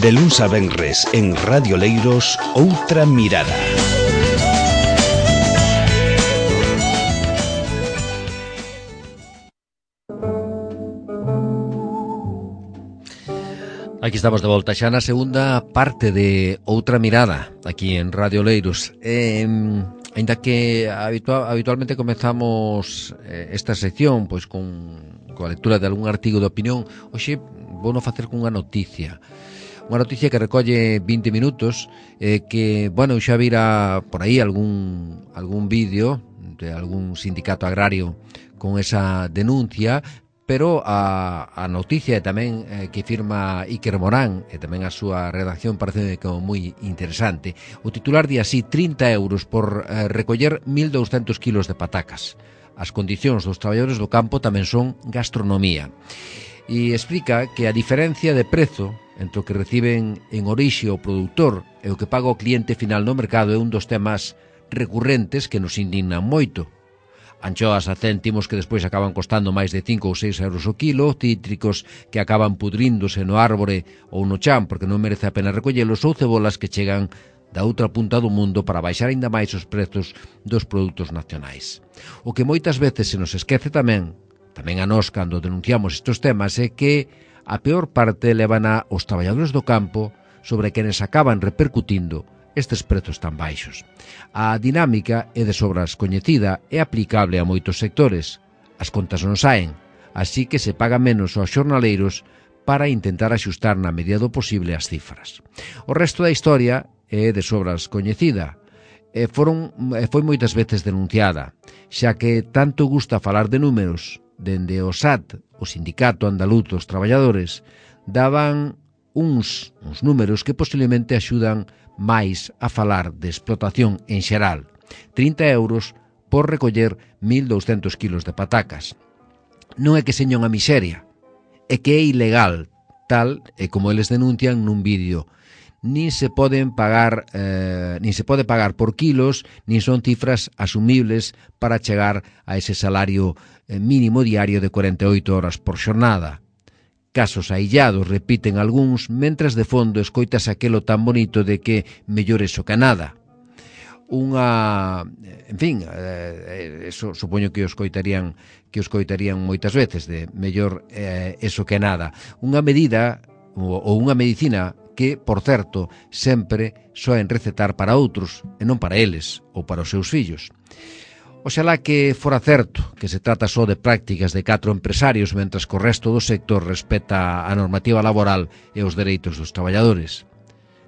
De luns a venres en Radio Leiros, Outra Mirada. Aquí estamos de volta xa na segunda parte de Outra Mirada, aquí en Radio Leiros. Ainda que habitualmente comezamos esta sección pois coa lectura de algún artigo de opinión, hoxe vou non facer cunha noticia. Unha noticia que recolle 20 minutos, que, bueno, xa vira por aí algún vídeo de algún sindicato agrario con esa denuncia, pero a noticia tamén que firma Iker Morán e tamén a súa redacción parece como moi interesante. O titular di así: 30 euros por recoller 1.200 kilos de patacas. As condicións dos traballadores do campo tamén son gastronomía. E explica que a diferencia de prezo entre o que reciben en orixe o produtor e o que paga o cliente final no mercado é un dos temas recurrentes que nos indignan moito. Anchoas a céntimos que despois acaban costando máis de 5 ou 6 euros o kilo, cítricos que acaban pudríndose no árbore ou no chan porque non merece a pena recollelos, ou cebolas que chegan da outra punta do mundo para baixar aínda máis os prezos dos produtos nacionais. O que moitas veces se nos esquece tamén a nós cando denunciamos estes temas, é que a peor parte levana os traballadores do campo sobre quenes acaban repercutindo estes prezos tan baixos. A dinámica é de sobras coñecida e aplicable a moitos sectores. As contas non saen, así que se paga menos aos xornaleiros para intentar axustar na medida do posible as cifras. O resto da historia é de sobras coñecida e foi moitas veces denunciada, xa que tanto gusta falar de números. Dende o SAT, o Sindicato Andaluz dos Traballadores, daban uns números que posiblemente axudan máis a falar de explotación en xeral. 30 euros por recoller 1.200 kilos de patacas. Non é que seña unha miseria, é que é ilegal, tal e como eles denuncian nun vídeo. Nin se pode pagar por kilos, nin son cifras asumibles para chegar a ese salario mínimo diario de 48 horas por xornada. Casos aillados, repiten algúns, mentras de fondo escoitas aquelo tan bonito de que mellor eso que nada. Eso supoño que o escoitarían moitas veces, de mellor eso que nada. Unha medida ou unha medicina que, por certo, sempre soen recetar para outros e non para eles ou para os seus fillos. Oxalá que fora certo que se trata só de prácticas de 4 empresarios mentras que o resto do sector respeta a normativa laboral e os dereitos dos traballadores.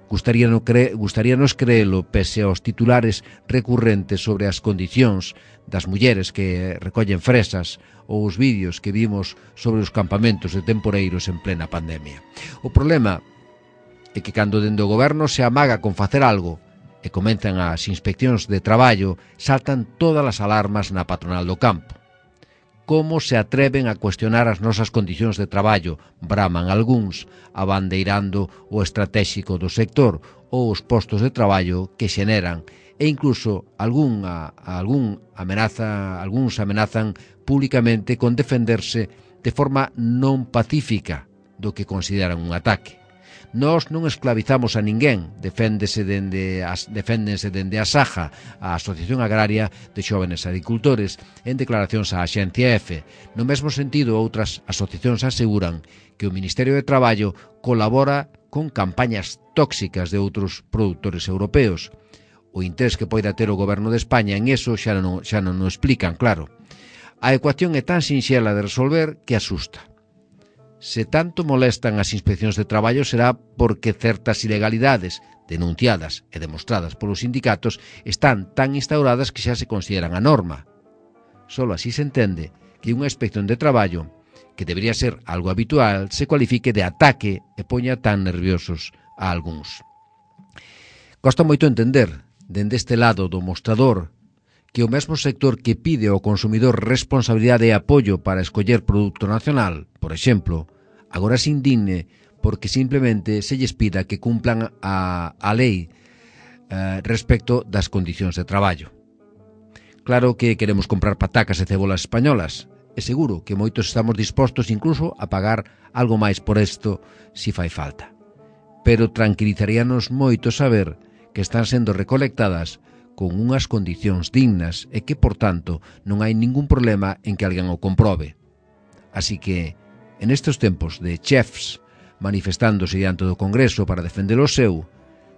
Gustaríanos creelo pese aos titulares recurrentes sobre as condicións das mulleres que recollen fresas ou os vídeos que vimos sobre os campamentos de temporeiros en plena pandemia. O problema é que cando dende o goberno se amaga con facer algo e comenzan as inspeccións de traballo, saltan todas as alarmas na patronal do campo. Como se atreven a cuestionar as nosas condicións de traballo, braman algúns, abandeirando o estratéxico do sector ou os postos de traballo que xeneran, e incluso algúns amenazan públicamente con defenderse de forma non pacífica do que consideran un ataque. Nós non esclavizamos a ninguén, deféndense dende a SAJA, a Asociación Agraria de Xóvenes Agricultores, en declaracións á Axencia EFE. No mesmo sentido, outras asociacións aseguran que o Ministerio de Traballo colabora con campañas tóxicas de outros produtores europeos. O interés que poida ter o Goberno de España en eso xa non o explican, claro. A ecuación é tan sinxela de resolver que asusta. Se tanto molestan as inspeccións de traballo será porque certas ilegalidades denunciadas e demostradas polos sindicatos están tan instauradas que xa se consideran a norma. Solo así se entende que unha inspección de traballo, que debería ser algo habitual, se cualifique de ataque e poña tan nerviosos a algúns. Costa moito entender, dende este lado do mostrador, que o mesmo sector que pide ao consumidor responsabilidade e apoio para escoller produto nacional, por exemplo, agora se indigne porque simplemente se lles pida que cumplan a lei respecto das condicións de traballo. Claro que queremos comprar patacas e cebolas españolas, e seguro que moitos estamos dispostos incluso a pagar algo máis por isto si fai falta. pero tranquilizaríanos moito saber que están sendo recolectadas con unhas condicións dignas e que, por tanto, non hai ningún problema en que alguén o comprobe. Así que, en estes tempos de chefs manifestándose diante do Congreso para defender o seu,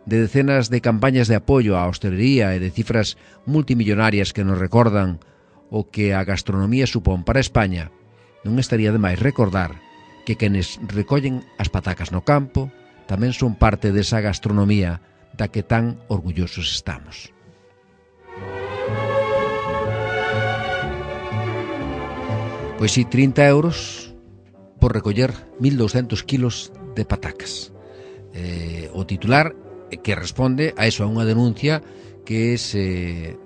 de decenas de campañas de apoio á hostelería e de cifras multimillonarias que nos recordan o que a gastronomía supón para España, non estaría de máis recordar que quenes recollen as patacas no campo tamén son parte desa gastronomía da que tan orgullosos estamos. Pois si, 30 euros por recoller 1.200 kilos de patacas. O titular que responde a eso, a unha denuncia que se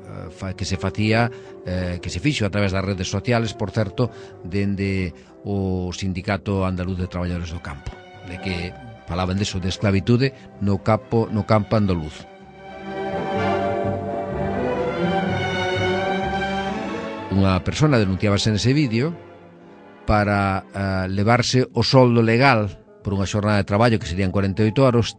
facía, que se fixo a través das redes sociales, por certo, dende o Sindicato Andaluz de Traballadores do Campo, de que falaban deso, de esclavitude no campo andaluz. Unha persona denunciábase nese vídeo para levarse o soldo legal por unha xornada de traballo que serían 48 euros,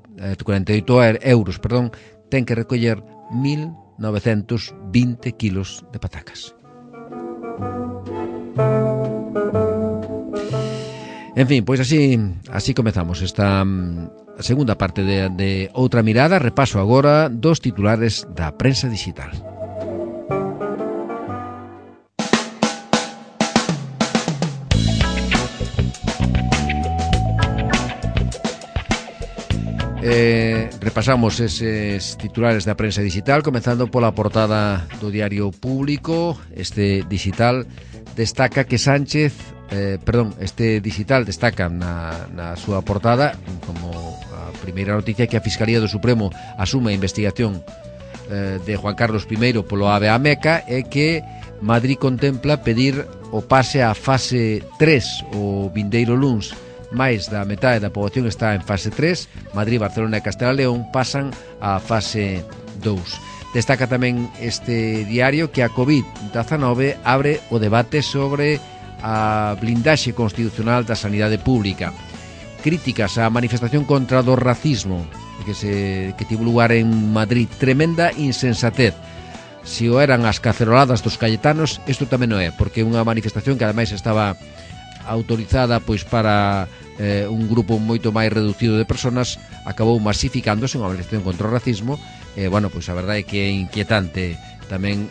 ten que recoller 1.920 kilos de patacas. En fin, pois así comezamos esta segunda parte de Outra Mirada. Repaso agora dos titulares da prensa digital. Repasamos eses titulares da prensa digital, comenzando pola portada do Diario Público. Este digital destaca na súa portada como a primeira noticia que a Fiscalía do Supremo asume a investigación de Juan Carlos I polo AVE a Meca e que Madrid contempla pedir o pase á fase 3 o vindeiro luns. máis da metade da poboación está en fase 3, Madrid, Barcelona e Castela e León pasan á fase 2. Destaca tamén este diario que a COVID-19 abre o debate sobre a blindaxe constitucional da sanidade pública. Críticas á manifestación contra o racismo que tivo lugar en Madrid. Tremenda insensatez. Se o eran as caceroladas dos cayetanos, isto tamén non é, porque unha manifestación que ademais estaba autorizada pois para un grupo moito máis reducido de personas, acabou masificándose unha manifestación contra o racismo. Bueno, pois a verdade é que é inquietante tamén,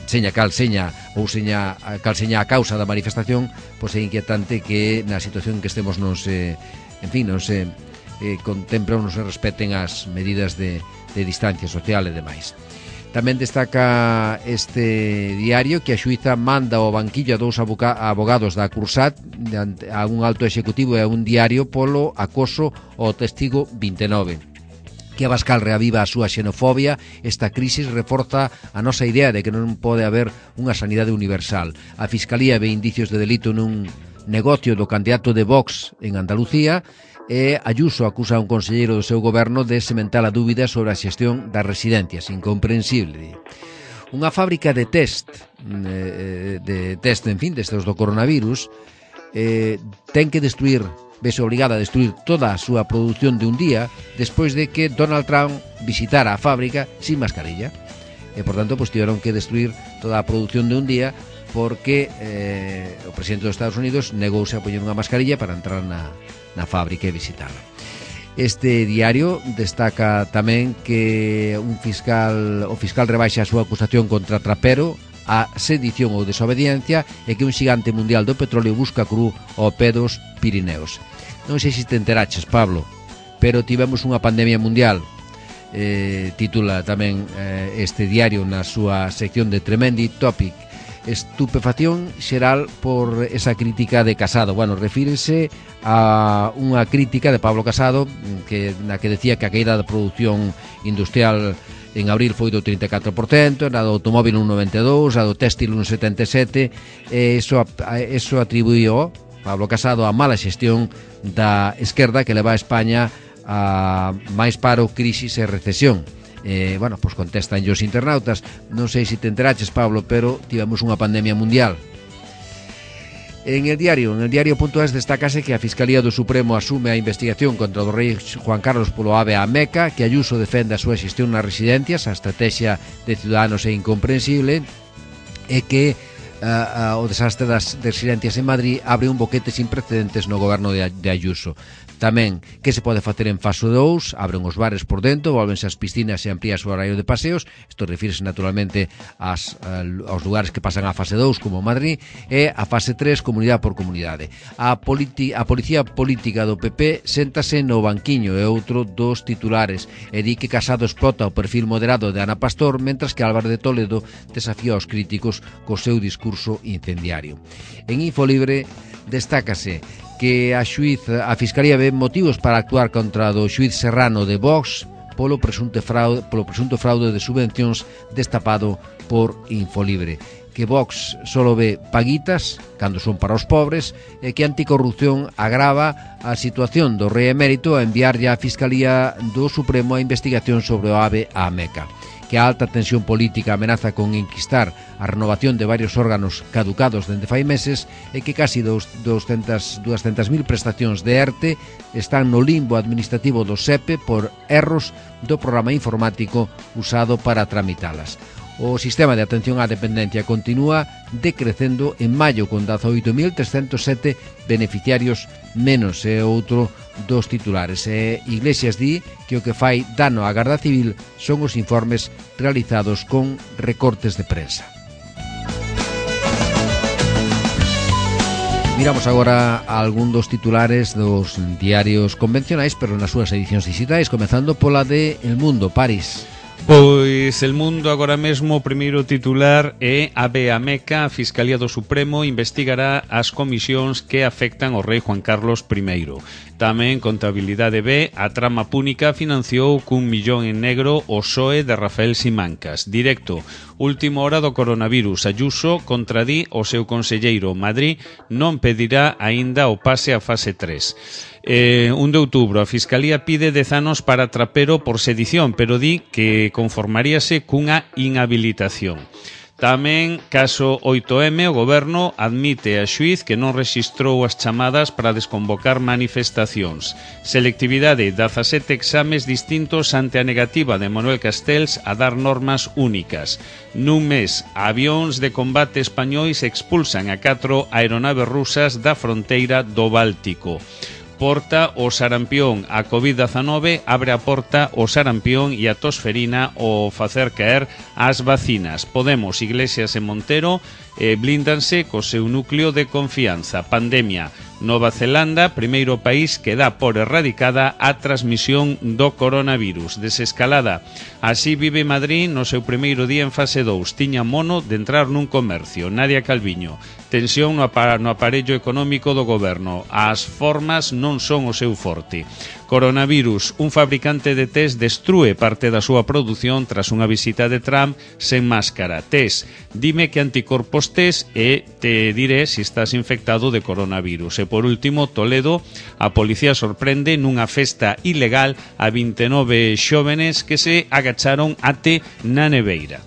seña cal seña a causa da manifestación, pois é inquietante que na situación que estemos non se contemplen, non se respeten as medidas de distancia social e demais. Tamén destaca este diario que a xuíza manda ao banquillo a dous abogados da Cursat, a un alto executivo e a un diario polo acoso ao testigo 29. Que Abascal reaviva a súa xenofobia. Esta crisis reforza a nosa idea de que non pode haber unha sanidade universal. A Fiscalía ve indicios de delito nun negocio do candidato de Vox en Andalucía e Ayuso acusa a un conselleiro do seu goberno de sementar a dúbida sobre a xestión das residencias. Incomprensible. Unha fábrica de test, destes do coronavirus, ten que vese obligada a destruir toda a súa produción de un día despois de que Donald Trump visitara a fábrica sin mascarilla. E, por tanto, tiveron que destruir toda a produción de un día porque o presidente dos Estados Unidos negouse a poñer unha mascarilla para entrar na fábrica e visitarla. Este diario destaca tamén que o fiscal rebaixa a súa acusación contra Trapero a sedición ou desobediencia e que un xigante mundial do petróleo busca cru ao pé dos Pirineos. Non sei se te enteraches, Pablo, pero tivemos unha pandemia mundial. Titula tamén este diario na súa sección de Tremendi Topic. Estupefacción xeral por esa crítica de Casado. Bueno, refírese a unha crítica de Pablo Casado na que decía que a caída da produción industrial en abril foi do 34%, na do automóvil un 92%, a do téxtil un 77%. Eso atribuío Pablo Casado a mala xestión da esquerda que leva a España a máis paro, crisis e recesión. Bueno, pois contestan os internautas. Non sei se te enteraches, Pablo, pero tivemos unha pandemia mundial. En el diario.es destácase que a Fiscalía do Supremo asume a investigación contra o rei Juan Carlos polo AVE a Meca, que Ayuso defende a súa xestión nas residencias, a estrategia de Ciudadanos é incomprensible, e que o desastre das residencias en Madrid abre un boquete sin precedentes no goberno de Ayuso. Tamén, que se pode facer en fase 2, abren os bares por dentro, volvense as piscinas e amplíase o horario de paseos, isto refírese naturalmente aos lugares que pasan a fase 2, como Madrid, e a fase 3, comunidade por comunidade. A policía política do PP séntase no banquiño, é outro dos titulares, e di que Casado explota o perfil moderado de Ana Pastor, mentras que Álvaro de Toledo desafía aos críticos co seu discurso incendiario. En Infolibre destácase que a Fiscalía ve motivos para actuar contra do xuíz Serrano de Vox polo presunto fraude de subvencións destapado por Infolibre, que Vox solo ve paguitas cando son para os pobres e que a anticorrupción agrava a situación do rei emérito a enviarlle á Fiscalía do Supremo a investigación sobre o AVE a Meca, que a alta tensión política amenaza con enquistar a renovación de varios órganos caducados dende fai meses e que casi 200.000 prestacións de ERTE están no limbo administrativo do SEPE por erros do programa informático usado para tramitalas. O sistema de atención á dependencia continúa decrecendo en maio con 18.307 beneficiarios menos, é outro dos titulares. Iglesias di que o que fai dano á Garda Civil son os informes realizados con recortes de prensa. Miramos agora a algún dos titulares dos diarios convencionais, pero nas súas edicións digitais, comezando pola de El Mundo, París. Pois El Mundo agora mesmo o primeiro titular é AVE a Meca, a Fiscalía do Supremo investigará as comisións que afectan ao rei Juan Carlos I. Tamén Contabilidade B, a trama púnica financiou cun millón en negro o PSOE de Rafael Simancas. Directo, última hora do coronavirus, Ayuso contradí o seu conselleiro. Madrid non pedirá aínda o pase a fase 3. 1 de outubro, a Fiscalía pide 10 anos para Trapero por sedición, pero di que conformaríase cunha inhabilitación. Tamén, caso 8M, o Goberno admite a xuíz que non rexistrou as chamadas para desconvocar manifestacións. Selectividade, 17 exames distintos ante a negativa de Manuel Castells a dar normas únicas. Nun mes, avións de combate españois expulsan a 4 aeronaves rusas da fronteira do Báltico. Porta o sarampión, a COVID-19 abre a porta o sarampión e a tosferina ao facer caer as vacinas. Podemos, Iglesias e Montero blíndanse co seu núcleo de confianza. Pandemia. Nova Zelanda, primeiro país que dá por erradicada a transmisión do coronavirus. Desescalada. Así vive Madrid no seu primeiro día en fase 2. Tiña mono de entrar nun comercio. Nadia Calviño. Tensión no aparello económico do goberno. As formas non son o seu forte. Coronavirus. Un fabricante de test destrúe parte da súa produción tras unha visita de Trump sen máscara. Test. Dime que anticorpos test e te diré se estás infectado de coronavirus. E por último, Toledo, a policía sorprende nunha festa ilegal a 29 xóvenes que se agacharon até na neveira.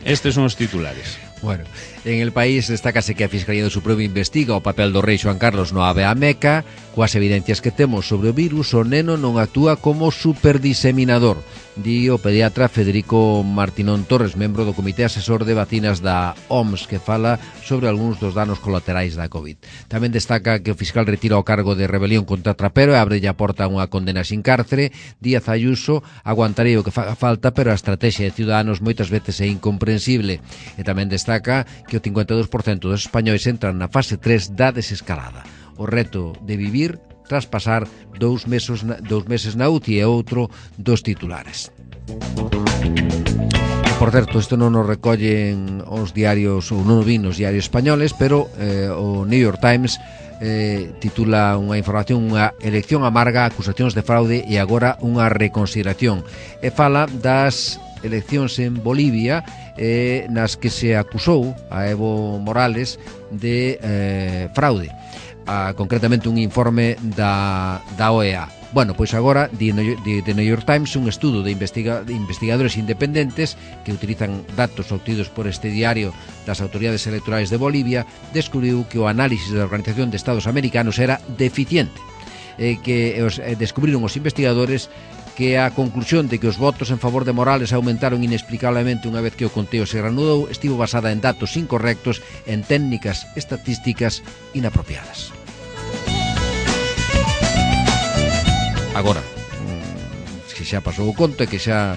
Estes son os titulares. Bueno, en El País destácase que a Fiscalía do Supremo investiga o papel do rei Xoán Carlos no AVE a Meca. Coas evidencias que temos sobre o virus, o neno non actúa como superdiseminador, di o pediatra Federico Martinón Torres, membro do Comité Asesor de Vacinas da OMS, que fala sobre algúns dos danos colaterais da COVID. Tamén destaca que o fiscal retira o cargo de rebelión contra Trapero e abre a porta a unha condena sin cárcere. Díaz Ayuso aguantarei o que faga falta, pero a estrategia de Ciudadanos moitas veces é incomprensible. E tamén destaca que o 52% dos españois entran na fase 3 da desescalada. O reto de vivir tras pasar 2 meses na UTI é outro dos titulares. Por certo, isto non nos recollen os diarios, ou non o vin nos diarios españoles, pero o New York Times titula unha información, unha elección amarga, acusacións de fraude e agora unha reconsideración. E fala das eleccións en Bolivia nas que se acusou a Evo Morales de fraude. Concretamente un informe da OEA. Bueno, pois agora The New York Times, un estudo de investigadores independentes que utilizan datos obtidos por este diario das autoridades electorales de Bolivia, descubriu que o análisis da Organización de Estados Americanos era deficiente, que descubriron os investigadores que a conclusión de que os votos en favor de Morales aumentaron inexplicablemente unha vez que o conteo se reanudou estivo basada en datos incorrectos, en técnicas estatísticas inapropiadas. Agora, que xa pasou o conto e que xa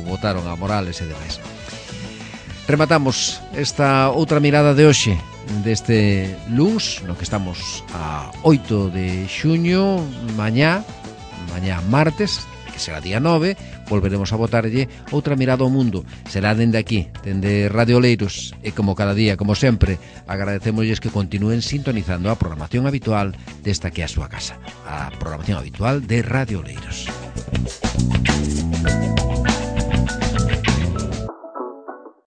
votaron a Morales e demais. Rematamos esta outra mirada de hoxe deste luns, no que estamos a 8 de xuño, mañá martes, que será día 9, volveremos a botarlle outra mirada ao mundo. Será dende aquí, dende Radio Oleiros, e como cada día, como sempre, agradecemosles que continúen sintonizando a programación habitual desta que é a súa casa, a programación habitual de Radio Oleiros.